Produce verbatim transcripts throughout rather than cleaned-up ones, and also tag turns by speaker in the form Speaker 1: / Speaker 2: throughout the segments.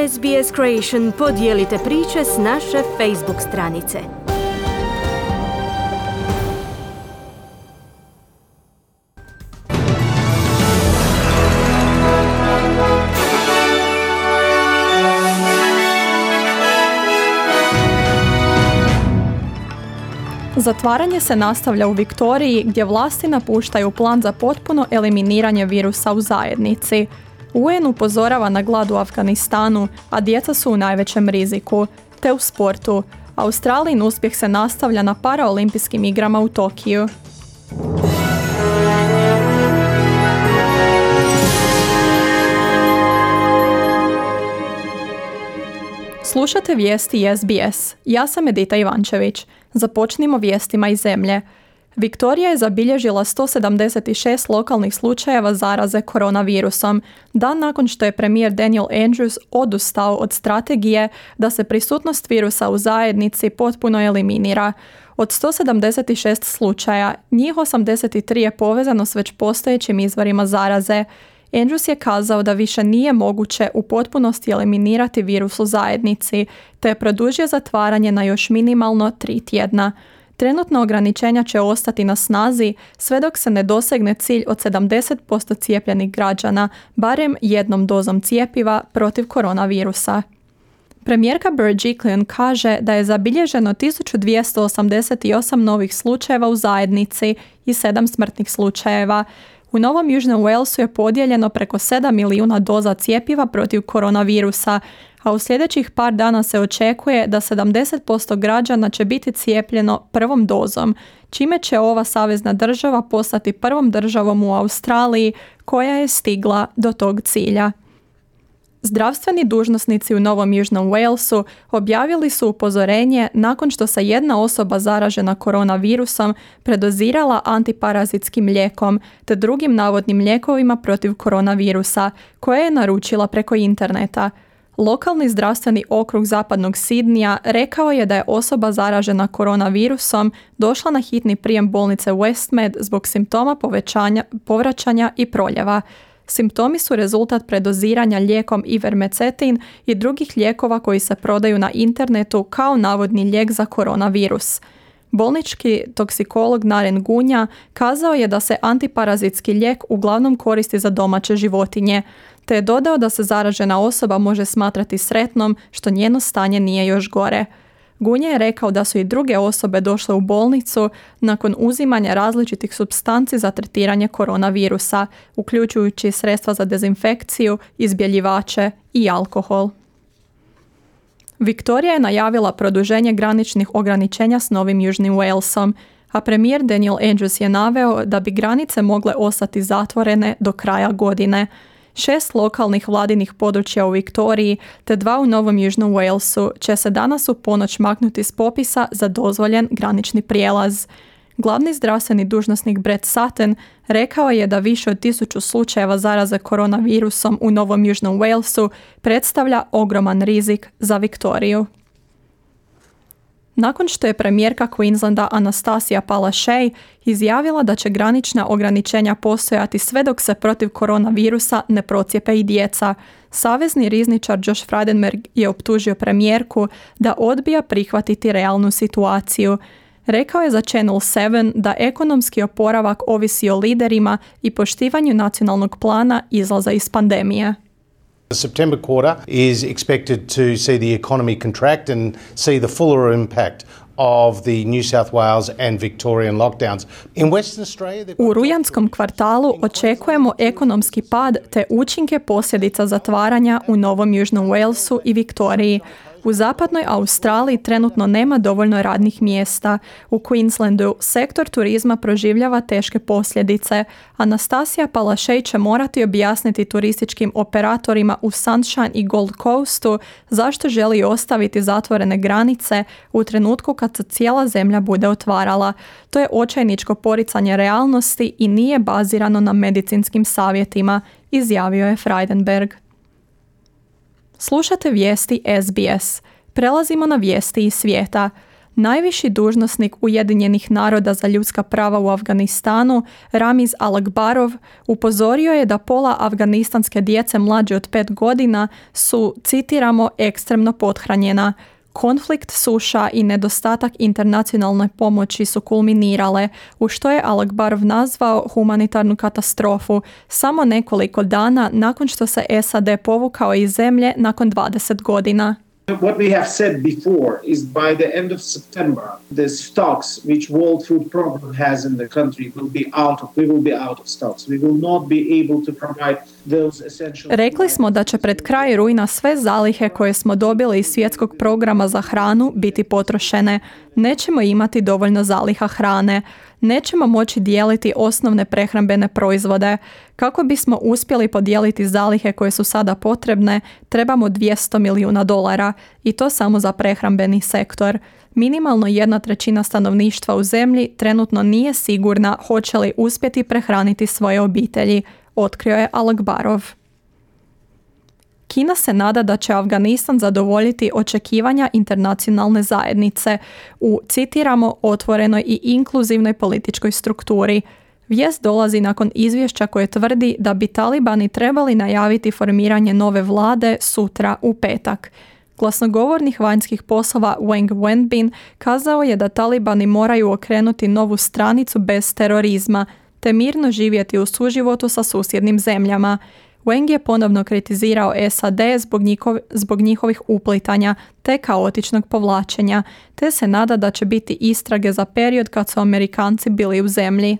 Speaker 1: S B S Creation podijelite priče s naše Facebook stranice.
Speaker 2: Zatvaranje se nastavlja u Viktoriji gdje vlasti napuštaju plan za potpuno eliminiranje virusa u zajednici. U En upozorava na glad u Afganistanu, a djeca su u najvećem riziku, te u sportu. Australijin uspjeh se nastavlja na paraolimpijskim igrama u Tokiju. Slušate vijesti S B S. Ja sam Edita Ivančević. Započnimo vijestima iz zemlje. Viktorija je zabilježila sto sedamdeset šest lokalnih slučajeva zaraze koronavirusom, dan nakon što je premijer Daniel Andrews odustao od strategije da se prisutnost virusa u zajednici potpuno eliminira. Od sto sedamdeset šest slučaja, njih osamdeset tri je povezano s već postojećim izvorima zaraze. Andrews je kazao da više nije moguće u potpunosti eliminirati virus u zajednici, te je produžio zatvaranje na još minimalno tri tjedna. Trenutno ograničenja će ostati na snazi sve dok se ne dosegne cilj od sedamdeset posto cijepljenih građana, barem jednom dozom cjepiva protiv koronavirusa. Premijerka Berejiklian kaže da je zabilježeno tisuću dvjesto osamdeset osam novih slučajeva u zajednici i sedam smrtnih slučajeva. U Novom Južnom Walesu je podijeljeno preko sedam milijuna doza cjepiva protiv koronavirusa, a u sljedećih par dana se očekuje da sedamdeset posto građana će biti cijepljeno prvom dozom, čime će ova savezna država postati prvom državom u Australiji koja je stigla do tog cilja. Zdravstveni dužnosnici u Novom Južnom Walesu objavili su upozorenje nakon što se jedna osoba zaražena koronavirusom predozirala antiparazitskim lijekom te drugim navodnim lijekovima protiv koronavirusa koje je naručila preko interneta. Lokalni zdravstveni okrug zapadnog Sidnija rekao je da je osoba zaražena koronavirusom došla na hitni prijem bolnice Westmed zbog simptoma povećanja, povraćanja i proljeva. Simptomi su rezultat predoziranja lijekom Ivermectin i drugih lijekova koji se prodaju na internetu kao navodni lijek za koronavirus. Bolnički toksikolog Naren Gunja kazao je da se antiparazitski lijek uglavnom koristi za domaće životinje, te je dodao da se zaražena osoba može smatrati sretnom što njeno stanje nije još gore. Gunja je rekao da su i druge osobe došle u bolnicu nakon uzimanja različitih supstanci za tretiranje koronavirusa, uključujući sredstva za dezinfekciju, izbjeljivače i alkohol. Viktorija je najavila produženje graničnih ograničenja s Novim Južnim Walesom, a premijer Daniel Andrews je naveo da bi granice mogle ostati zatvorene do kraja godine. Šest lokalnih vladinih područja u Viktoriji te dva u Novom Južnom Walesu će se danas u ponoć maknuti s popisa za dozvoljen granični prijelaz. Glavni zdravstveni dužnosnik Brett Sutton rekao je da više od tisuću slučajeva zaraze koronavirusom u Novom Južnom Walesu predstavlja ogroman rizik za Viktoriju. Nakon što je premijerka Queenslanda Anastasia Palaszczuk izjavila da će granična ograničenja postojati sve dok se protiv koronavirusa ne procijepe i djeca, savezni rizničar Josh Frydenberg je optužio premijerku da odbija prihvatiti realnu situaciju. Rekao je za Channel sedam da ekonomski oporavak ovisi o liderima i poštivanju nacionalnog plana izlaza iz pandemije.
Speaker 3: The September quarter is expected to see the economy contract and see the fuller impact of the New South Wales and Victorian lockdowns. In Western Australia,
Speaker 2: u rujanskom kvartalu očekujemo ekonomski pad te učinke posljedica zatvaranja u Novom Južnom Walesu i Viktoriji. U zapadnoj Australiji trenutno nema dovoljno radnih mjesta. U Queenslandu sektor turizma proživljava teške posljedice. Anastasia Palaszczuk će morati objasniti turističkim operatorima u Sunshine i Gold Coastu zašto želi ostaviti zatvorene granice u trenutku kad se cijela zemlja bude otvarala. To je očajničko poricanje realnosti i nije bazirano na medicinskim savjetima, izjavio je Frydenberg. Slušate vijesti S B S. Prelazimo na vijesti iz svijeta. Najviši dužnosnik Ujedinjenih naroda za ljudska prava u Afganistanu, Ramiz Alakbarov, upozorio je da pola afganistanske djece mlađe od pet godina su, citiramo, ekstremno pothranjena. Konflikt, suša i nedostatak internacionalne pomoći su kulminirale, u što je Alakbarov nazvao humanitarnu katastrofu, samo nekoliko dana nakon što se S A D povukao iz zemlje nakon dvadeset godina.
Speaker 4: What we have said before is by the end of September, the stocks which World Food Program has in the country will be out of, we will be out of stocks. We will not be able to provide those essential...
Speaker 2: Rekli smo da će pred kraj rujna sve zalihe koje smo dobili iz svjetskog programa za hranu biti potrošene. Nećemo imati dovoljno zaliha hrane. Nećemo moći dijeliti osnovne prehrambene proizvode. Kako bismo uspjeli podijeliti zalihe koje su sada potrebne, trebamo dvjesto milijuna dolara i to samo za prehrambeni sektor. Minimalno jedna trećina stanovništva u zemlji trenutno nije sigurna hoće li uspjeti prehraniti svoje obitelji, otkrio je Alakbarov. Kina se nada da će Afganistan zadovoljiti očekivanja internacionalne zajednice u, citiramo, otvorenoj i inkluzivnoj političkoj strukturi. Vijest dolazi nakon izvješća koje tvrdi da bi talibani trebali najaviti formiranje nove vlade sutra u petak. Glasnogovornik vanjskih poslova Wang Wenbin kazao je da talibani moraju okrenuti novu stranicu bez terorizma, te mirno živjeti u suživotu sa susjednim zemljama. Wang je ponovno kritizirao S A D zbog, njihov, zbog njihovih uplitanja te kaotičnog povlačenja, te se nada da će biti istrage za period kad su Amerikanci bili u zemlji.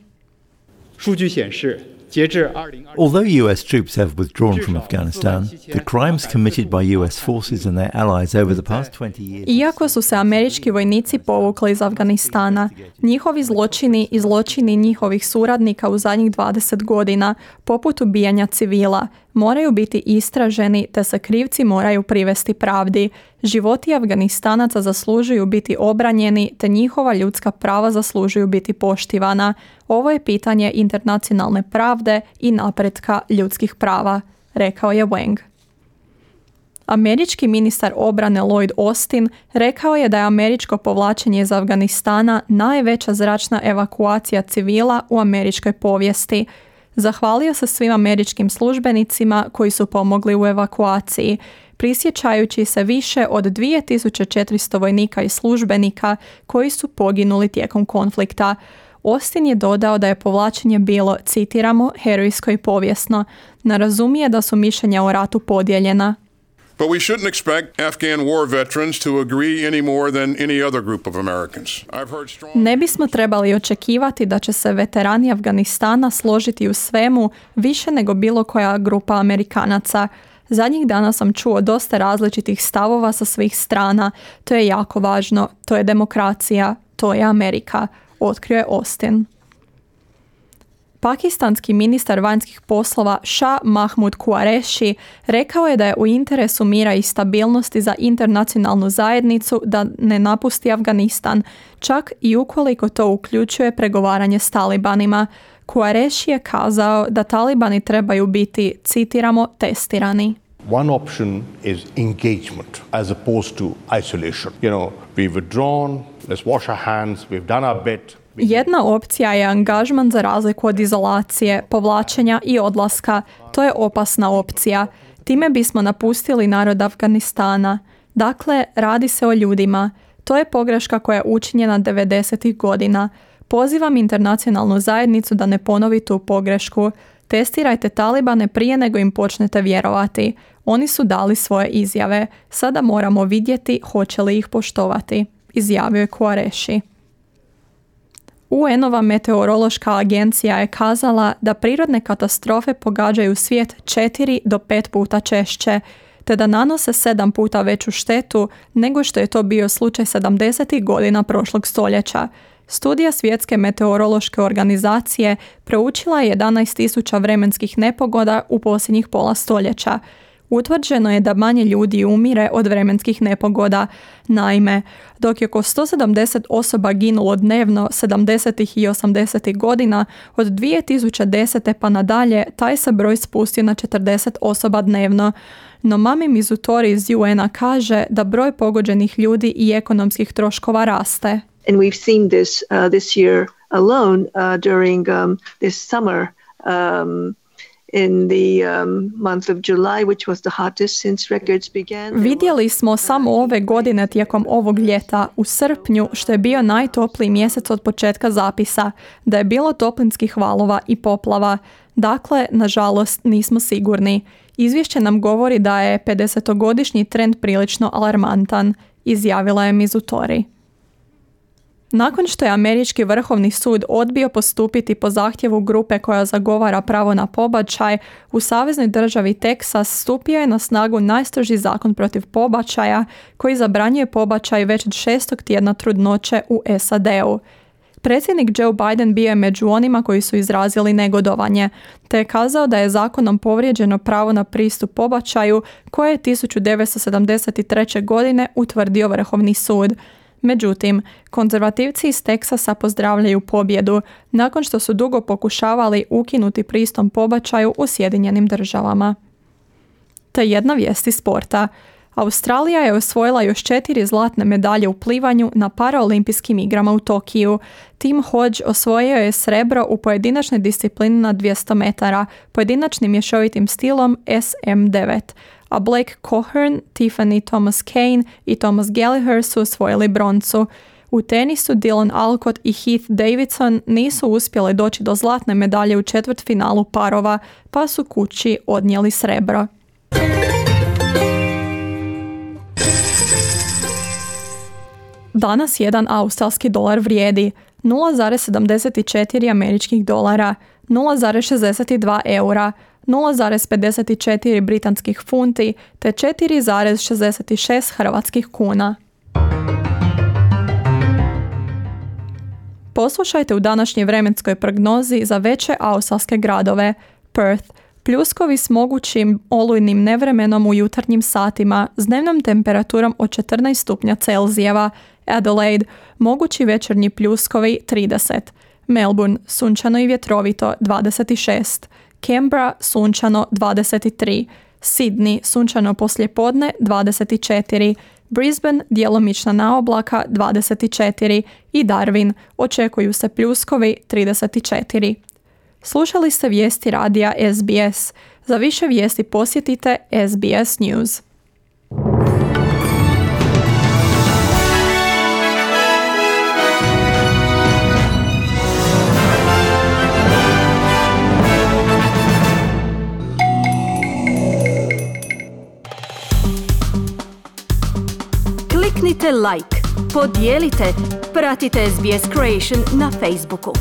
Speaker 5: Although U S troops have withdrawn from Afghanistan, the crimes committed by U S forces and their allies over the past twenty years...
Speaker 2: Iako su se američki vojnici povukli iz Afganistana, njihovi zločini i zločini njihovih suradnika u zadnjih dvadeset godina, poput ubijanja civila, moraju biti istraženi te se krivci moraju privesti pravdi. Životi Afganistanaca zaslužuju biti obranjeni te njihova ljudska prava zaslužuju biti poštivana. Ovo je pitanje internacionalne pravde i napretka ljudskih prava, rekao je Wang. Američki ministar obrane Lloyd Austin rekao je da je američko povlačenje iz Afganistana najveća zračna evakuacija civila u američkoj povijesti. Zahvalio se svim američkim službenicima koji su pomogli u evakuaciji, prisjećajući se više od dvije tisuće četiristo vojnika i službenika koji su poginuli tijekom konflikta. Austin je dodao da je povlačenje bilo, citiramo, herojsko i povijesno. Ne razumije da su mišljenja o ratu podijeljena.
Speaker 6: But we shouldn't expect Afghan war veterans to agree any more than any other group of Americans. I've heard strong...
Speaker 2: Ne bismo trebali očekivati da će se veterani Afganistana složiti u svemu više nego bilo koja grupa Amerikanaca. Zadnjih dana sam čuo dosta različitih stavova sa svih strana. To je jako važno. To je demokracija. To je Amerika, otkrio je Austin. Pakistanski ministar vanjskih poslova Shah Mahmud Qureshi rekao je da je u interesu mira i stabilnosti za internacionalnu zajednicu da ne napusti Afganistan, čak i ukoliko to uključuje pregovaranje s talibanima. Qureshi je kazao da talibani trebaju biti, citiramo, testirani.
Speaker 7: One option is engagement as opposed to isolation. You know, we've withdrawn, let's wash our hands, we've done our bit.
Speaker 2: Jedna opcija je angažman za razliku od izolacije, povlačenja i odlaska. To je opasna opcija. Time bismo napustili narod Afganistana. Dakle, radi se o ljudima. To je pogreška koja je učinjena devedesetih godina. Pozivam internacionalnu zajednicu da ne ponovi tu pogrešku. Testirajte talibane prije nego im počnete vjerovati. Oni su dali svoje izjave. Sada moramo vidjeti hoće li ih poštovati, izjavio je Qureshi. U N-ova meteorološka agencija je kazala da prirodne katastrofe pogađaju svijet četiri do pet puta češće, te da nanose sedam puta veću štetu nego što je to bio slučaj sedamdesetih godina prošlog stoljeća. Studija Svjetske meteorološke organizacije proučila je jedanaest tisuća vremenskih nepogoda u posljednjih pola stoljeća. Utvrđeno je da manje ljudi umire od vremenskih nepogoda. Naime, dok je oko sto sedamdeset osoba ginulo dnevno sedamdesetih i osamdesetih godina, od dvije tisuće desete pa nadalje taj se broj spustio na četrdeset osoba dnevno. No Mami Mizutori iz U N-a kaže da broj pogođenih ljudi i ekonomskih troškova raste.
Speaker 8: And we've seen this uh, this year alone uh, during um, this summer um, in the um, month of July, which was the hottest since records began.
Speaker 2: Vidjeli smo samo ove godine tijekom ovog ljeta u srpnju, što je bio najtopliji mjesec od početka zapisa, da je bilo toplinskih valova i poplava. Dakle, nažalost, nismo sigurni. Izvješće nam govori da je pedesetogodišnji trend prilično alarmantan, izjavila je Mizutori. Nakon što je Američki vrhovni sud odbio postupiti po zahtjevu grupe koja zagovara pravo na pobačaj, u saveznoj državi Teksas stupio je na snagu najstroži zakon protiv pobačaja koji zabranjuje pobačaj već od šestog tjedna trudnoće u S A D-u. Predsjednik Joe Biden bio je među onima koji su izrazili negodovanje, te je kazao da je zakonom povrijeđeno pravo na pristup pobačaju koje je tisuću devetsto sedamdeset treće. godine utvrdio Vrhovni sud. Međutim, konzervativci iz Teksasa pozdravljaju pobjedu nakon što su dugo pokušavali ukinuti pristup pobačaju u Sjedinjenim državama. Te jedna vijest iz sporta. Australija je osvojila još četiri zlatne medalje u plivanju na paraolimpijskim igrama u Tokiju. Tim Hodge osvojio je srebro u pojedinačnoj disciplini na dvjesto metara, pojedinačnim mješovitim stilom S M devet, a Blake Cohern, Tiffany Thomas Kane i Thomas Gallagher su osvojili broncu. U tenisu Dylan Alcott i Heath Davidson nisu uspjeli doći do zlatne medalje u četvrtfinalu parova, pa su kući odnijeli srebro. Danas jedan australski dolar vrijedi nula zarez sedamdeset četiri američkih dolara, nula zarez šezdeset dva eura, nula zarez pedeset četiri britanskih funti te četiri zarez šezdeset šest hrvatskih kuna. Poslušajte u današnjoj vremenskoj prognozi za veće australske gradove. Perth, pljuskovi s mogućim olujnim nevremenom u jutarnjim satima s dnevnom temperaturom od četrnaest stupnja Celzijeva. Adelaide, mogući večernji pljuskovi trideset. Melbourne, sunčano i vjetrovito dvadeset šest. Canberra, sunčano dvadeset tri. Sydney, sunčano poslijepodne dvadeset četiri. Brisbane, djelomična naoblaka dvadeset četiri i Darwin, očekuju se pljuskovi trideset četiri. Slušali ste vijesti radija S B S. Za više vijesti posjetite S B S News.
Speaker 1: Kliknite like, podijelite, pratite S B S Creation na Facebooku.